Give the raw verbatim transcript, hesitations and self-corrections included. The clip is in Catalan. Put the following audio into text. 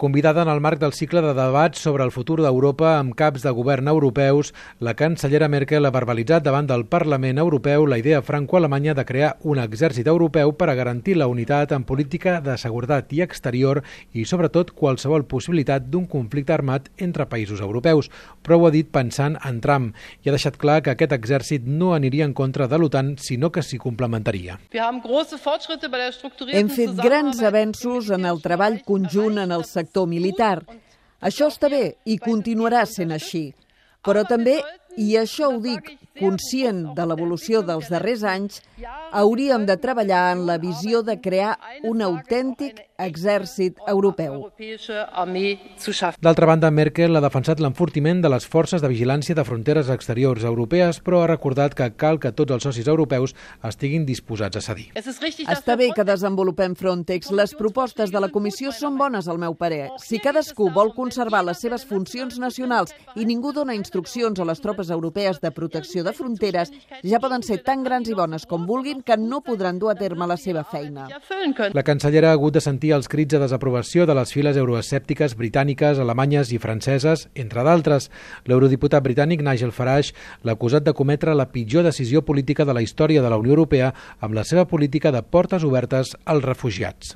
Convidada en el marc del cicle de debats sobre el futur d'Europa amb caps de govern europeus, la cancellera Merkel ha verbalitzat davant del Parlament Europeu la idea franco-alemanya de crear un exèrcit europeu per a garantir la unitat en política de seguretat i exterior i, sobretot, qualsevol possibilitat d'un conflicte armat entre països europeus. Però ho ha dit pensant en Trump i ha deixat clar que aquest exèrcit no aniria en contra de l'OTAN, sinó que s'hi complementaria. Hem fet grans avenços en el treball conjunt en el sector militar. Això està bé i continuarà sent així. Però també, i això ho dic conscient de l'evolució dels darrers anys, hauríem de treballar en la visió de crear un autèntic exèrcit europeu. D'altra banda, Merkel ha defensat l'enfortiment de les forces de vigilància de fronteres exteriors europees, però ha recordat que cal que tots els socis europeus estiguin disposats a cedir. Està bé que desenvolupem Frontex. Les propostes de la Comissió són bones, al meu parer. Si cadascú vol conservar les seves funcions nacionals i ningú dona instruccions a les tropes europees de protecció de fronteres, ja poden ser tan grans i bones com vulguin que no podran dur a terme la seva feina. La cancellera ha hagut de sentir els crits de desaprovació de les files euroescèptiques britàniques, alemanyes i franceses, entre d'altres. L'eurodiputat britànic Nigel Farage l'ha acusat de cometre la pitjor decisió política de la història de la Unió Europea amb la seva política de portes obertes als refugiats.